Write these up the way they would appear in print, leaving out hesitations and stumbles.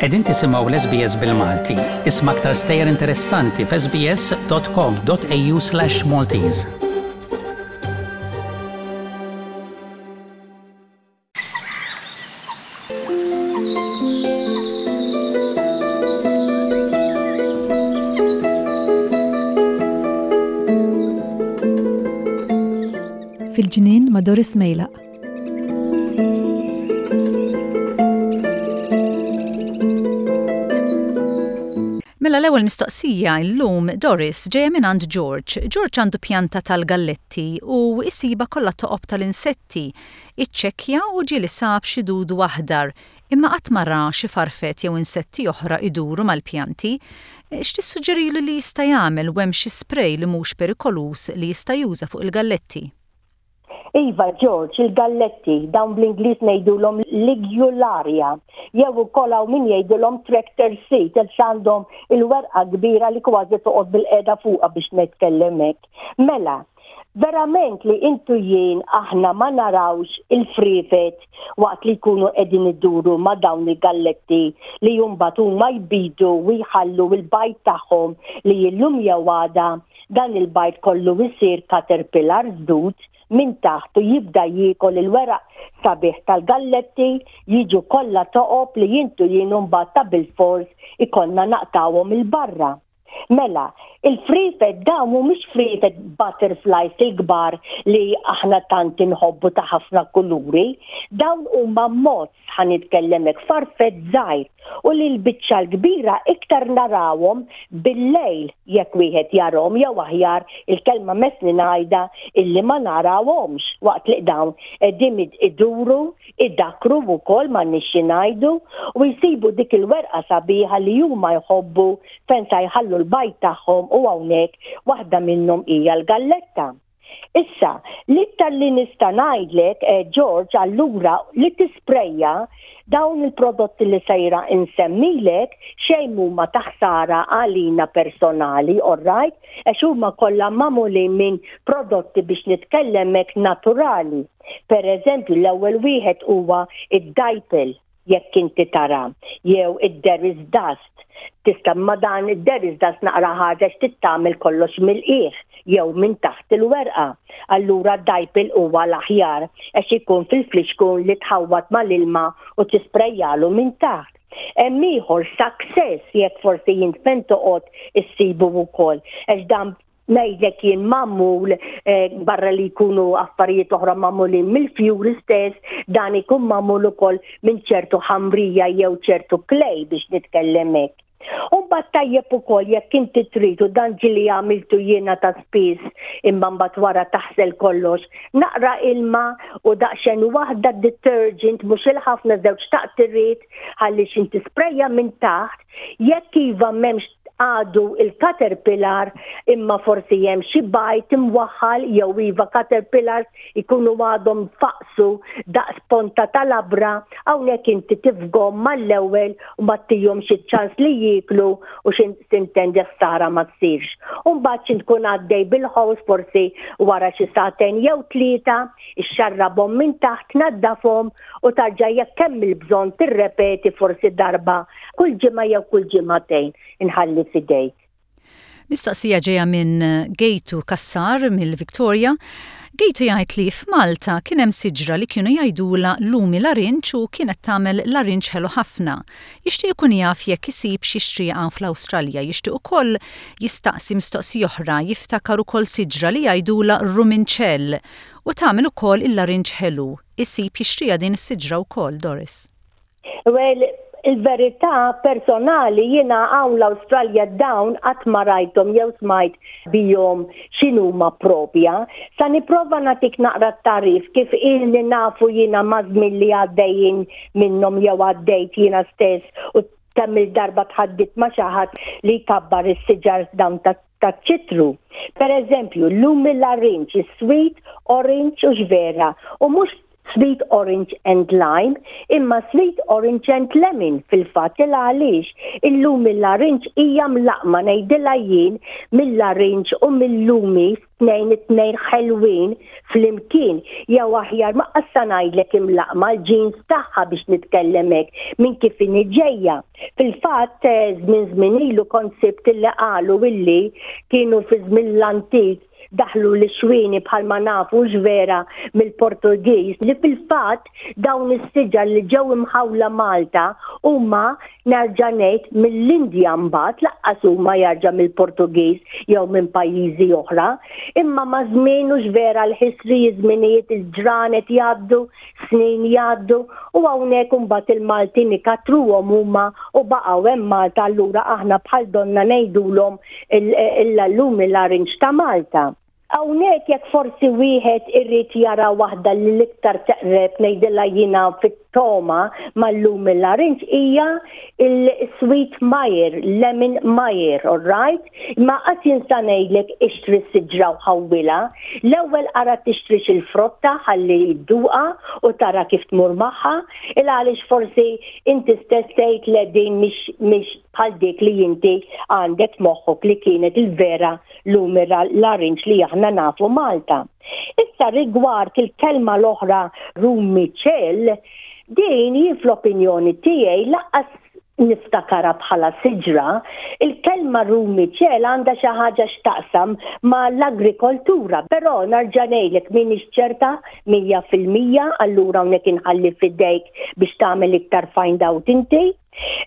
Qegħdin tisimgħu l-SBS bil-Malti. Isma' aktar stejjer interessanti f'sbs.com.au/Maltese. Fil-ġnien ma' Doris Mejlaq. Mela l-ewwel mistoqsija llum Doris ġejja mingħand George. George għandu pjanta tal-galletti u jsiba kollha toqob tal-insetti. Iċċekkja u ġieli sab xi dudu aħdar, imma qatt ma ra xi farfett jew insetti oħra jduru mal-pjanti. X'tissuġġerilu li jista' jagħmel u hemm xi spray li mhux perikoluż li jista' juża fuq il-galletti? Iva, George, il-galletti, dawn bl-Ingliż ngħidulhom ligularia, jew ukoll hawn min jgħidilhom tractor seed għax għandhom il-werqa kbira li kważi toqgħod bilqiegħda fuqha biex nitkellem hekk. Mela, verament li int u jien aħna ma narawx il-friefet waqt li jkunu qegħdin iduru ma' dawn il-galletti li mbagħad huma jbidu u jħallu l-bajd tagħhom li illum jew għada Dan il-bajd kollu jsir caterpillar żdud minn taħt u jibda jiekol il-weraq sabiħ tal-galletti, jiġu kollha toqob li int u jien imbagħad ta' bilfors ikollna naqtgħuhom 'il barra. Mela, il-friefet dawn mhumiex friefet butterflies il-kbar li aħna tant inħobbu ta' ħafna kuluri, dawn huma moths ħa nitkellem hekk, farfett żgħir u li l-biċċa l-kbira iktar narawhom bil-lejl jekk wieħed jarahom jew aħjar il-kelma messni ngħidha illi ma narawhomx waqt li dawn qegħdin iduru, idakkru wkoll m'għandniex xi ngħidu u jsibu dik il-werqa sabiħa li huma jħobbu fejn sa jħallu l-bajd tagħhom u hawnhekk waħda minnhom hija l-galletta. Issa, l-iktar li nista' ngħidlek, eh, George, allura li tisprejja dawn il-prodotti li sejra insemmilek xejn huma ta' ħsara għalina personali, all right? Għax huma kollha magħmulin minn prodotti biex nitkellem hekk naturali. Per eżempju, l-ewwel wieħed huwa id-dipel. jekk inti tara, jew id-there is dust. Tista' ma dan id-there is dust naqra ħaġa x'tittamel kollox mill-qiegħ jew minn taħt il-werqa. Allura d-dajpil huwa l-aħjar għax ikun fil-flixkun li tħawwad mal-ilma u tisprejjalu minn taħt. Hemm ieħor success jekk forsi int fejn toqgħod issibu wkoll għax dan ngħidlek jien magħmul eh, barra li jkunu affarijiet oħra magħmulin mill-fjuri stess, dan ikun magħmul ukoll minn ċertu ħamrija jew ċertu klej biex nitkellem hekk. U mbagħad tajjeb ukoll jekk inti trid u dan ġili għamiltu jiena ta' spiss imma mbagħad wara taħsel kollox, naqra ilma u daqsxejn waħda detergent mhux il-ħafna żewġ taqtiriet ħalli x'inti sprejja minn taħt, jekk iva m'hemmx għadu il-caterpillar imma forsi hemm xi bajd imwaħħal jew iva caterpillars ikunu għadhom faqsu daqs ponta ta' labra, hawnhekk inti tifgom mal-ewwel u ma ttihomx iċ-ċans li jieklu u xi tintendi ħsara ma ssirx. U mbagħad xi tkun għaddej bil-ħows forsi wara xi sagħtejn jew tlieta, ixxarrabhom minn taħt, naddafhom u tarġa' jekk hemm il-bżonn tirrepeti forsi darba kull ġimgħa jew kull ġimagħtejn inħalli f'idejk. Mistoqsija ġejja minn Gejtu Cassar mill-Victoria. Gejtu jgħid li f'Malta kien hemm siġra li kienu jgħidulha lumi larinġ u kienet tagħmel larinġ ħelu ħafna. Jixtieq ikun jaf jekk isibx jixtriha hawn fl-Awstralja. Jixtieq ukoll jistaqsi mistoqsija oħra, jiftakar ukoll siġra li jgħidulha ruminċell u tagħmel ukoll il-larinġ ħelu. Isib jixtriha din is-siġra wkoll, Doris? Well, il-verità personali jiena hawn l-Awstralja dawn qatt ma rajthom jew smajt bihom x'inhuma propja. Sa nipprova nagħtik naqra t-tagħrif kif ilni nafu jiena maż-żmien li għaddejjin minnhom jew għaddejt jiena stess u kemm-il darba tħaddit ma' xi ħadd li jkabbar is-siġar dawn taċ-ċitru. Per eżempju, llum il-larinġ, is-sweet orange u x'vera, u mhux. Sweet Orange and Lime, imma Sweet Orange and Lemon fil-fatt il għaliex il-lumi larinġ hija mlaqqma ngħidilha jien mil-larinġ u mil-lumi tnejn it-tnejn ħelwin flimkien jew aħjar ma qassa ngħidlek imlaqqma l-ġins tagħha biex nitkellem hekk minn kif inhi ġejja. Fil-fatt żmien żmien ilu kont sibt illi qalu illi kienu fi żmien l-antik daħlu l-xwieni bħalma nafu vera mill-Portugiż li fil-fatt dawn is-siġar li ġew imħawla Malta huma nerġa' ngħid mill-Indja mbagħad laqqas huma jarġa' mill-Portugiż jew minn pajjiżi oħra. Imma maż-żmien hux vera l-history, iż-żminijiet, il-ġranet jgħaddu, snin jgħaddu u hawnhekk imbagħad il-Maltin ikattruhom huma u baqgħu hemm Malta allura aħna bħal donna ngħidulhom il-lumi l-arinġ ta' Malta. Hawnhekk jekk forsi wieħed irid jara waħda li l-iktar teqreb ngħidilha jiena fit-togħma mal-lumi l-arinġ hija il-sweet Meyer, lemon Meyer, all right? Imma qatt jien sa ngħidlek ixtri s-siġra u ħawwilha. L-ewwel ara tixtrix il-frotta ħalli dduqha u tara kif tmur magħha, il għaliex forsi inti stess tgħid le din mhix mhix bħal dik li inti għandek f'moħħok li kienet il-vera lumira larinġ li aħna nafu Malta. Issa rigward il-kelma l-oħra rumiċell, din jien fl-opinjoni tiegħi laqqas niftakarha bħala siġra, il-kelma rumiċel għandha xi ħaġa x'taqsam ma' l-agrikoltura, però narġa' ngħidlek m'iniex ċerta 100% allura hawnhekk inħalli f'idejk biex tagħmel iktar find out inti.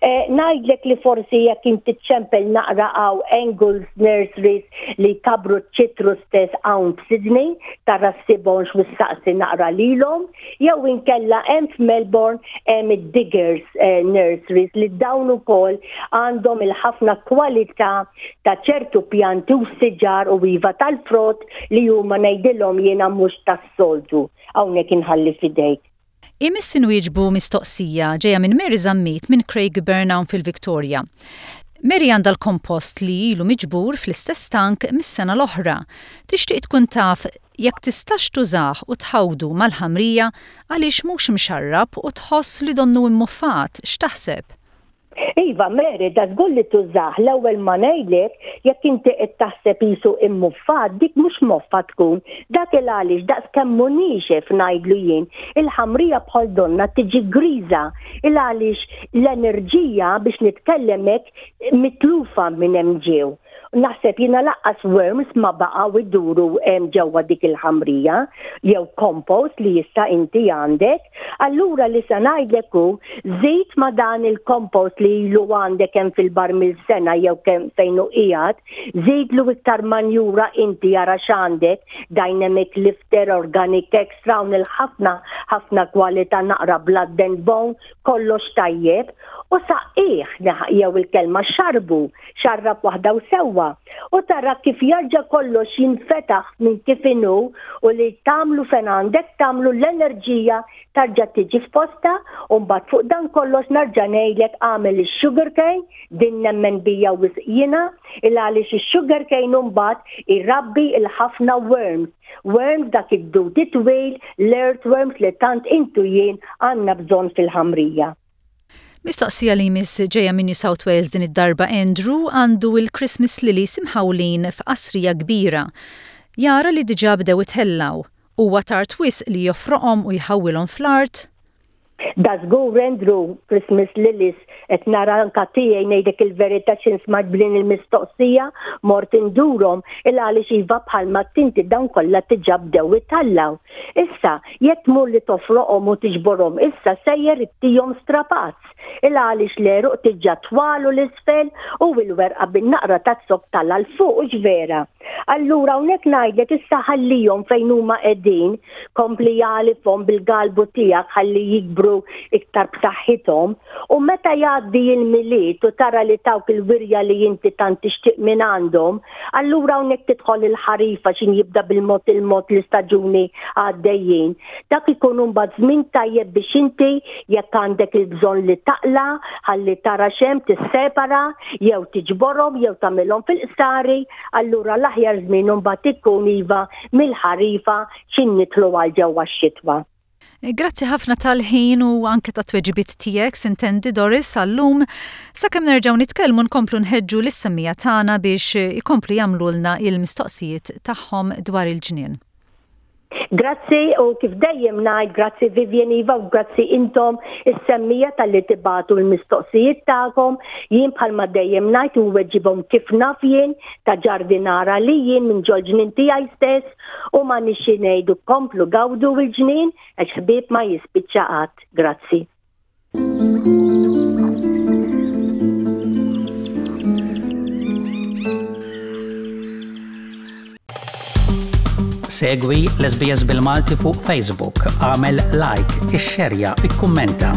Eh, ngħidlek li forsi jekk inti ċempel naqra hawn Engels Nurseries li kabru ċitru stess hawn f'Sydney, tara ssibhomx u ssaqsi naqra lilhom, jew inkella hemm f'Melbourne hemm id-Diggers eh, Nurseries li dawn ukoll għandhom il-ħafna kwalità ta' ċertu pjanti u siġar u iva tal-frott li huma ngħidilhom jiena mhux tas-soltu. Hawnhekk inħalli f'idejk. Imiss inwieġbu mistoqsija ġejja minn Mary Zammit minn Craigieburn hawn fil-Victoria. Mary għandha l-kompost li ilu miġbur fl-istess tank mis-sena l-oħra. Tixtieq tkun taf jekk tistax tużah u tħawdu mal-ħamrija għaliex mhux imxarrab u tħoss li donnu immuffat, x'taħseb? Iva, Mary, da żgur li tużah. L-ewwel ma ngħidlek, jekk inti qed taħseb qisu immuffat, dik mhux moffa tkun. Dak il għaliex daqs kemm hu niexef ngħidlu jien, il-ħamrija bħal donnha tiġi griża. Il għaliex l-enerġija biex nitkellem hekk mitlufa minn hemm ġew. Naħseb jiena laqqas worms ma baqgħu iduru hemm ġewwa dik il-ħamrija jew compost li issa inti għandek. Allura li se ngħidlek hu żid ma' dan il-compost li ilu għandek hemm fil-barmil sena jew kemm fejn hu qiegħed, żidlu iktar manjura inti ara x'għandek, dynamic lifter, organic extra hawn il-ħafna ħafna kwalità naqra blood and bone, kollox tajjeb u saqqih jew il-kelma xarbu, xarrab waħda u sewwa, u tara kif jarġa' kollox jinfetaħ minn kif inhu u li tagħmlu fejn għandek tagħmlu l-enerġija tarġa' tiġi f'postha u mbagħad fuq dan kollox narġa' ngħidlek agħmel ix-sugar cane, din nemmen bija wisq jiena, il għaliex ix-sugar cane mbagħad irabbi l-ħafna worms Worms dak id-dud it-twil, l-earthworms li tant int u jien għandna bżonn fil-ħamrija. Mistoqsija li jmiss ġejja minn New South Wales din id-darba Andrew għandu il-Christmas lilies imħawlin f'qasrija kbira. Jara li diġà bdew itellgħu. Huwa tard wisq li jofroqhom u jħawwilhom fl-art? Da żgur Andrew, Christmas Lilies, qed nara anka tiegħi ngħidlek il-verità x'in smajt b'din il-mistoqsija mort indurhom il għaliex iva bħalma tinti dawn kollha diġà bdew itallaw. Issa, jekk tmur li tofroqhom u tiġborhom issa sejjer ittihom strapazz. Il għaliex l-għeruq diġà twalu l-isfel u l-werqa bin-naqra ta' zokk tala' 'l fuq hux vera? Allura hawnhekk ngħidlek issa ħallihom fejn huma qegħdin, kompli għalifhom bil-galbu tiegħek ħalli jikbru iktar b'saħħithom u meta jgħaddi l-Milied u tara li tawk il-wirja li inti tant tixtieq minn għandhom, allura hawnhekk tidħol il-ħarifa x'in jibda bil-mod il-mod l-istaġuni għaddejjin. Dak ikun imbagħad żmien tajjeb biex inti jekk għandek il-bżonn li taqla' ħalli tara x'hemm tissepara jew tiġborhom jew tagħmilhom fil-qsari, allura l-aħjar żmien imbagħad ikun iva mill-ħarifa x'in nidħlu għal ġewwa x-xitwa. Grazzi ħafna tal-ħin u anke tat-tweġibiet tiegħek, sintendi Doris, għal-lum. Sakemm nerġgħu nitkellmu nkomplu nħeġġu lis-semmiegħa tagħna biex ikomplu jagħmlulna il-mistoqsijiet tagħhom dwar il-ġnien. Grazzi u kif dejjem ngħid grazzi Vivian Iva u grazzi intom is-semmiegħa talli tibagħtu l-mistoqsijiet tagħkom. Jien bħalma dejjem ngħid inweġibhom kif naf jien ta' ġardinara li jien minn ġol-ġnien tiegħi stess u m'għandniex xi ngħidu komplu gawdu l-ġnien għax ħbieb ma jispiċċa qatt. Grazzi. Segwi l-SBS bil-Malti fuq Facebook, għamel like, ixxerja, ikkummenta.